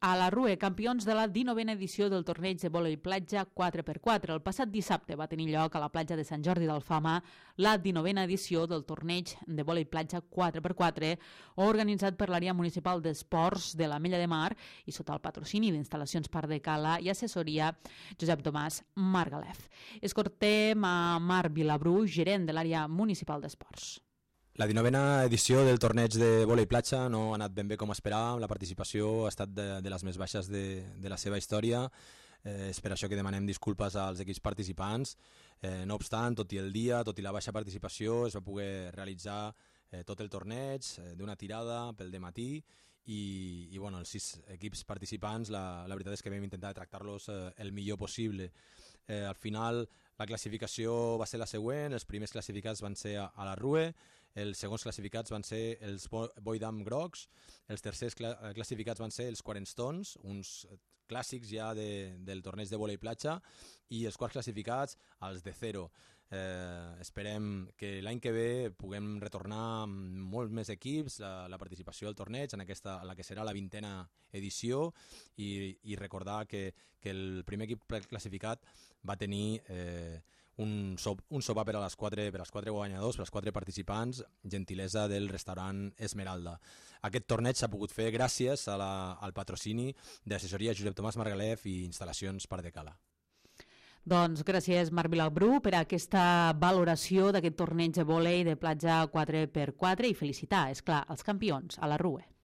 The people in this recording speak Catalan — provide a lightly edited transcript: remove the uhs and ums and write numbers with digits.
A la Rue, campions de la 19a edició del torneig de vòlei platja 4x4. El passat dissabte va tenir lloc a la platja de Sant Jordi d'Alfama la 19a edició del torneig de vòlei platja 4x4, organitzat per l'àrea municipal d'esports de l'Ametlla de Mar i sota el patrocini d'Instal·lacions Pardecala i assessoria Josep Tomàs Margalef. Escoltem a Marc Vilabrú, gerent de l'àrea municipal d'esports. La 19a edició del torneig de vòlei platja no ha anat ben bé com esperàvem. La participació ha estat de les més baixes de la seva història. És per això que demanem disculpes als equips participants. No obstant, tot i el dia, tot i la baixa participació, es va poder realitzar tot el torneig d'una tirada pel dematí i bueno, els 6 equips participants la veritat és que vam intentar tractar-los el millor possible. Al final la classificació va ser la següent: els primers classificats van ser a la Rue, els segons classificats van ser els Boydam Grocs, els tercers classificats van ser els Quarenstones, uns clàssics ja del torneig de vòlei platja, i els quarts classificats els de Zero. Esperem que l'any que ve puguem retornar amb molts més equips la participació al torneig en la que serà la 20a edició i recordar que el primer equip classificat va tenir un sopar per a les 4 guanyadors, per als 4 participants, gentilesa del restaurant Esmeralda. Aquest torneig s'ha pogut fer gràcies al patrocini d'assessoria Josep Tomàs Margalef i Instal·lacions Pardecala. Doncs gràcies, Marc Vilabrú, per aquesta valoració d'aquest torneig de vòlei de platja 4x4 i felicitar, és clar, els campions a la Rue.